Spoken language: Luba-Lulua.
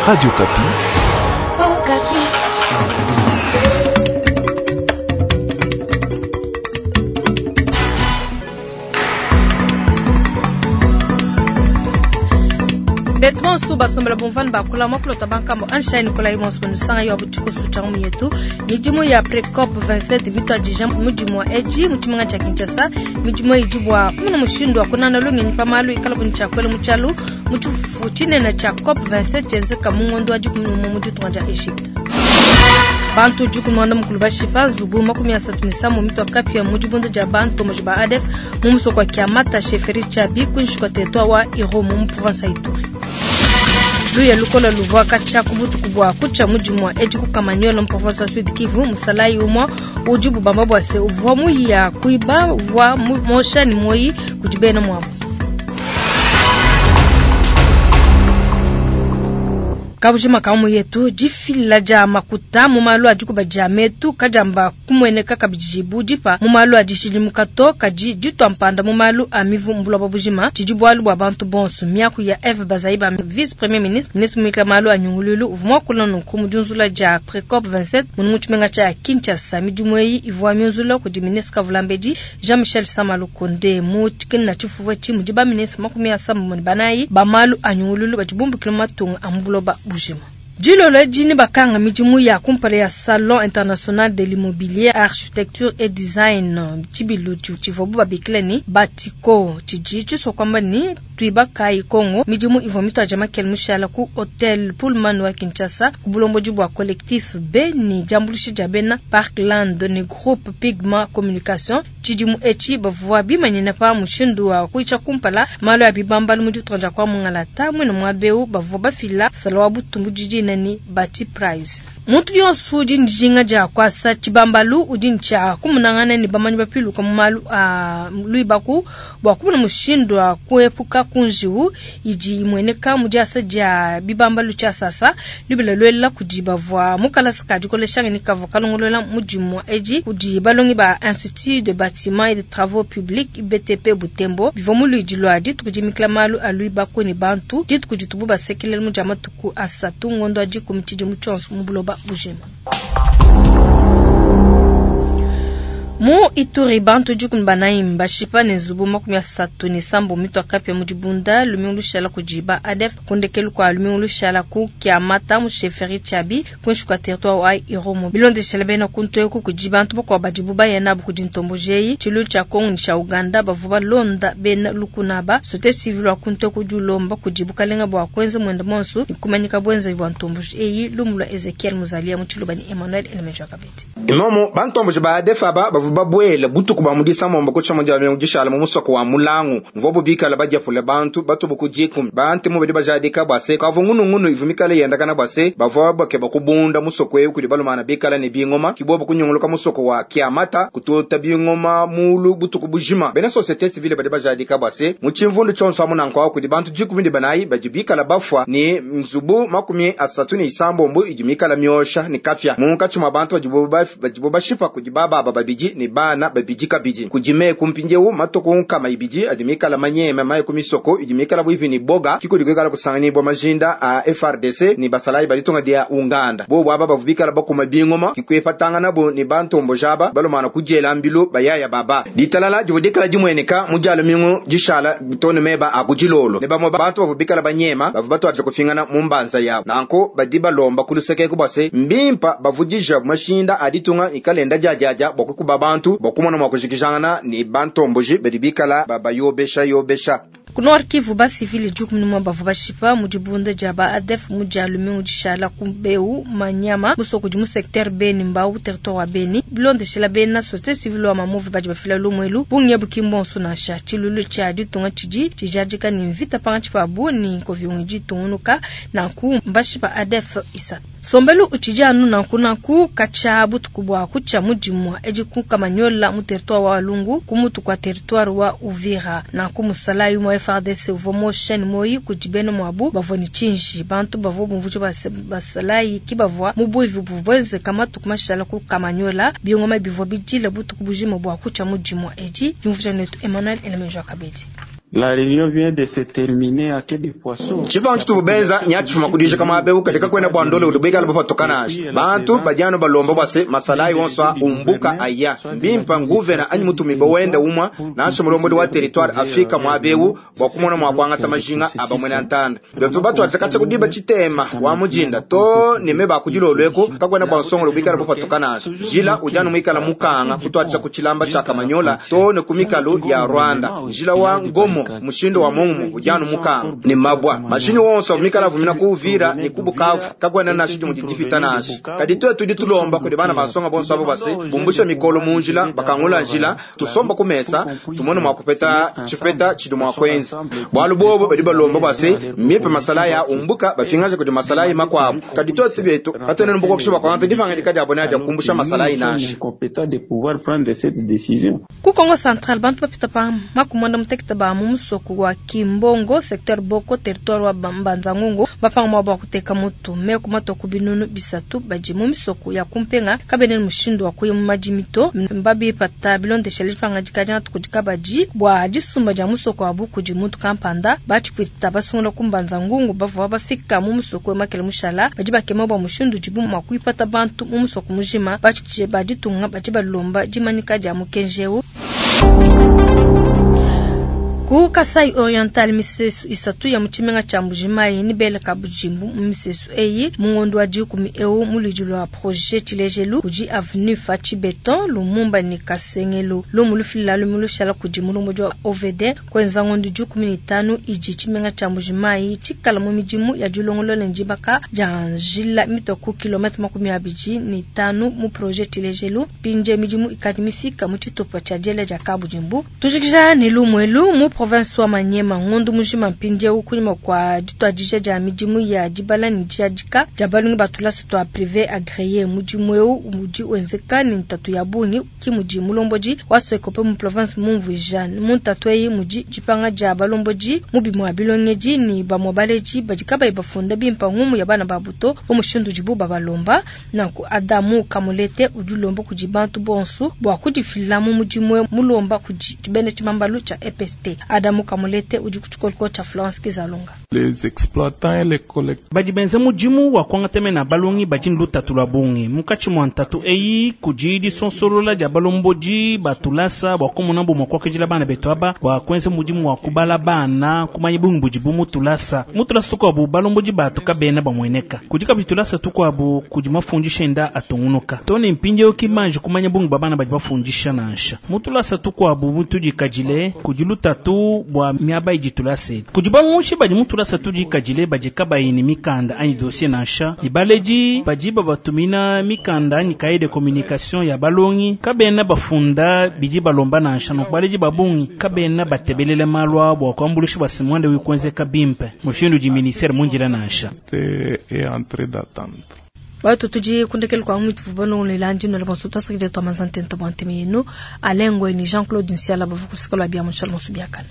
Radio Okapi. Okapi. Betu bonso basombela bumvani bakula mwakulota bankambo Einstein Nikolai bonso banusanga yo abutiko sucha mu yetu midimu ya Precop 27 mitwadija mudimu wa eji mu tshimenga tshia Kinshasa. Midimu idi bua kumona mushindu wa kunana lungenyi pa malu ikala buni tshia kuela mu tshialu mu tshifufu tshinene tshia COP 27 tshienzeka mu ngondo wa 11 mu ditunga dia Egypte. Bantu 14 bashipa nzubu 37 mitua kapia mu dibunda dia bantomboji ba ADF mu musoko wa Kiamata chefferie Tshiabi kuinshi kua territoire wa Irumu mu province ya Ituri. Luya lukola luvua katshia ku butuku bua kutshia mudimu wa edi ku Kamanyola mu province wa Sud Kivu. Musalayi umue udi bubamba bua se uvua muya kuiba uvua mosha ne moyi kudi bena muabu. Kabujima ka mu yetu difila dia makuta mu malu a dikuba dia metu kadiamba kumueneka kabidi bu dipa mu malu a dishidimuka to kadi ditua mpanda mu malu a mivu mu buloba bujima tshidi bualu bua bantu bonso. Miaku ya Eve Bazaiba, vice premier ministre, ministre muikala malu a nyunguluilu, uvua muakula nunku mu diunzula dia Precop 27 munu mu tshimenga tshia Kinshasa. Midimu eyi ivua miunzula kudi ministre Kavulambedi Jean-Michel Sama Lukonde mu tshikena tshifufu etshi mudi ba ministre 74 ba malu a nyunguluilu badi bumbukila mu matunga a mu buloba bujima. Dilolo edi ne bakanga midimu ya kumpala ya Salon International de l'Immobilier, Architecture et Design tshibilu tshivuabu babikila ne Batiko tshidi tshisua kuamba ne tuibakayi Kongo. Midimu ivua mituadija makele mushala ku Hotel Pullman wa Kinshasa ku bulombodi bua Collectif B ne diambuluisha dia bena Parkland ne Groupe Pigma Communication. Tshidimu etshi bavua bimanyina pa mushindu wa kuyisha kumpala malu a bibambalu mu ditunga dia kwa Mungalata. Muine muaba eu bavua bafila sala wa butumbi dina ni Bati Prize. Muntu yonso udi ne dijinga dia kuasa tshibambalu udi ne tshia kumunangana ne bamanyi bapiluka mu malu a luibaku bua kumona mushindu wa kuepuka ku njiwu idi imueneka mu diasa dia bibambalu tshiasasa. Lubila luela kudi bavua mu kalasa ka dikolesha ngenyi kavua kalongolola mudimu edi kudi balongi ba Institut de Bâtiment et de Travaux Publics IBTP Butembo bivua mu luidi lua dituku dimikila malu a luibaku ne bantu dituku ditubu basekelela mu dia matuku asatu ngondo wa 10 tshidimu tshionso mu buloba bujima. Mu Ituri bantu 14 mbashipa ne nzubu 37 mitua kapia mu dibunda lumingu lushala kudi ba ADF kundekelu kua lumingu lushala ku Kiamata mu chefferie Tshiabi kuinshi kua territoire wa Irumu. Bilondeshela bena kuntu eku kudi bantu bakuabu badibu baya nabu kudi ntomboji eyi tshilu tshia Kongo ne tshia Uganda bavua balonda bena lukuna ba société civile wa kuntu eku udi ulomba kudi bukalenga bua kuenza muenda monso ne kumanyika buenzavi bua ntomboji eyi. Lumu lua Ezekiel Muzalia mu Tshiluba ne Emmanuel Elemejo Kabedi. Imomo bantomboji ba ADF aba bavua babuele butuku bua mu disambombo ku tshia dia lumingu dishala mu musoko wa Mulangu mvuabu bikala badiapula bantu batubu ku 10. Bantemu badi bajadika bua se kavua ngunungunu ivua mikale yendakana bua se bavua bakeba kubunda musoko eu kudi balumana bikala ne bingoma kibobo kunyunguluka musoko wa Kiamata kututa bingoma mulu butuku bujima. Bena société civile badi bajadika bua se mu tshimvundu tshionso amu nanku kudi bantu 14 badi bikala bafua ne nzubu 36 idi mikala miosha ne kapia munkatshi mua bantu badibo bashipa kudi bababa babidi ne bana babidi kabidi kudi meku mpindieu matuku 200 adi mikala manyema maye ku misoko idi mikala buivi ni boga kikudi kuikala kusanganibwa majinda a FRDC ni basalayi balitunga dia Uganda bobo aba bavu bikala bakuma bingoma kikuepatangana bo ni bantombo jaba balomana kudiela mbilu bayaya baba ditalala divu dikala dimweneka mu dialo mingu dishala tone meba akudilolo ne bamwe bantu bavu bikala banyema bavu batwaje kufingana mu mbanza yabo nanko badi balomba kuluseke kubase mbimpa bavudija mashinda aditunga ikalenda jajaja bokukuba bantu bokumona mwa kujikijangana ni bantomboji badi bikala babayobesha yobesha. Ku Nord Kivu ba civili 11 bavua bashipa mu dibunda dia ba ADF mu dia lumingu dishala ku Beu Manyama musoko udi mu secteur Beni Mbau territoire wa Beni. Bilondeshela bena société civile wa Mamuvu badi bafila lumuelu bungi buki mbonso nansha tshilulu tshia ditunga tshidi tshijadika ni mvita pangatshi pabu ni nkoviungi ditungunuka nanku mbashipa ADF isatu. Sombelu utshidi anu nanku nanku katshia butuku bua kutshia mudimu edi ku Kamanyola mu territoire wa Walungu ku mutu kua territoire wa Uvira nanku musalayi wa FARDC uvua mosha ne moyi kudi bena muabu bavua ne tshinji bantu bavua bumvuja basalayi ki bavua mu buivi buvua buenzeka matuku mashala ku Kamanyola bingoma bivua bidila butuku bujima bua kutshia mudimu edi diumvuja netu Emmanuel Elemenjo Kabedi. La réunion vient de se terminer à Quai des Poissons. Tshipangu tshitubu benza nya tshifuma kudija kamabe ukadi kakwena bua ndole udi buikala bupatuka nansha. Bantu badi anu balomba bua se masalayi wonso a umbuka aya. Mbimpa nguvena anyi mutumibe wenda umua nansha mulombodi wa territoire afika muabewu bua kumona mua kuangata majinga a bamwena ntanda. Betu batuadija katshia kudiba tshitema wa mujinda to ne meba kudilolo eko kakwena bua nsongolo buikala bupatuka nansha. Njila udi anu muikala mukanga kutuadija ku tshilamba tshia Kamanyola to ne ku mikalu ya Rwanda. Njila wa Ngomo mushindo wa mungu udi anu mukanga ne mabwa. Mashinyi wonso mikala vumina ku Uvira ne ku Bukavu kakwena nansha dimue didifita nansha. Kadi tuetu tudi tulomba kudi bana basonga bonso abo base bumbusha mikolo mu njila bakangula njila tusomba ku mesa tumone mua kupeta tshipeta tshidi mua kuenza. Bualu bobo badi balomba base mipe masala ya umbuka bapingaje kudi masala makuabu. Kadi tuetu betu katuena ne bua kuangata dipangadika dia bona dia kumbusha masala nansha. Compétent de pouvoir prendre cette décision. Ku Kongo Central bantu bapita pa makumanda mutekete ba mu musoko wa Kimbongo secteur Boko territoire wa Mbanza-Ngungu bapanga mwa bwa kuteka mutu meku matoku binunu bisatu badi mu misoko ya kumpenga kabene mushindu wa kuya mu madimito mbabi pata bilondeshele dipangadika dia tukudika badi bua disumba dia musoko wa buku di muntu kampanda bachikwita basungula ku Mbanza-Ngungu bavua bafika mu musoko wa Makele Mushala badi bakema bua mushindu dibu mwa kuipata bantu mu musoko mujima bachikwita baditunga badi balomba dimanika dia mukenjeu. Ku Kasai Oriental misesu isatu ya muchimenga cha Mbujimayi ni bele kabujimbu misesu eyi mungondo wa dikumi eu mulidi lwa projet Tshilejelu kudi avenue Fachi Beton Lumumba ni Kasengelo lumulufila lumulushala kudi mulomboji wa OVD kwenza ngondo 15 iji chimenga cha Mbujimayi chikala mu midimu ya dilongolola njibaka ja njila mitoku kilometre 25 mu projet Tshilejelu pinje midimu ikadi mifika mu tshitupa cha jele ja kabujimbu tujikija ni lumwelu mu province wa Manyema ngondu mujima mpinje ukunyuma kwa ditwadija ja midimu ya dibala ni diadika ja balungi batulasa twa privé agréé mudimu eu mudi wenzeka ni ntatu ya bungi ki mudi mulomboji wa Sokope mu province mumvuija mu ntatu eyi mudi dipanga ja balomboji mu bimwa bilongeji ni bamwa baleji badi kabayi bafunda bimpa ngumu ya bana babuto omushindu dibu babalomba nanku Adamu Kamulete udilomba kudi bantu bonsu bua kudifila mu mudimu mulomba kudi bene tshibambalu tsha EPST. Adamu Kamulete udi kutshikoloko tsha Florence Kizalunga. Les exploitants et les collecteurs. Badi benze mudimu wa kuangata na balongi badi lutatu lwa bungi mukatshi mwa ntatu eyi kudi disonsolola dia balomboji batulasa bua kumona bumua kuakidila bana betu aba bua kuenza mudimu wa kubala bana kumanya bungi budi bu mutulasa mutulasa tukuabu balomboji batu kabena bamueneka kudi kabidi tulasa tukuabu kudi mafundisha enda atungunuka tone mpindieu kimanji kumanya bungi ba bana badi bafundisha nansha mutulasa tukuabu mutudikadile kudi lutatu bua miaba idi tulasa etu kudi balongoshi badi mutulasa tudikadile badi kabayi ne mikanda anyi dossier nansha ibaledi badi babatumina mikanda anyi cahier de communication ya balongi kabena bafunda bidi balomba nansha nunku baledi babungi kabena batebelele malu abo bua kuambulisha bua simwande wikuenzeka bimpe mushindu di ministère munjila nansha est en train d'attendre. Bato tudi kundekele kwa mwitu vubano lelandi no lebonso twasakide twamanzante ntobanteme yenu alengwe ni Jean-Claude Nsiala bavukusikalo bia munshala musubiakana.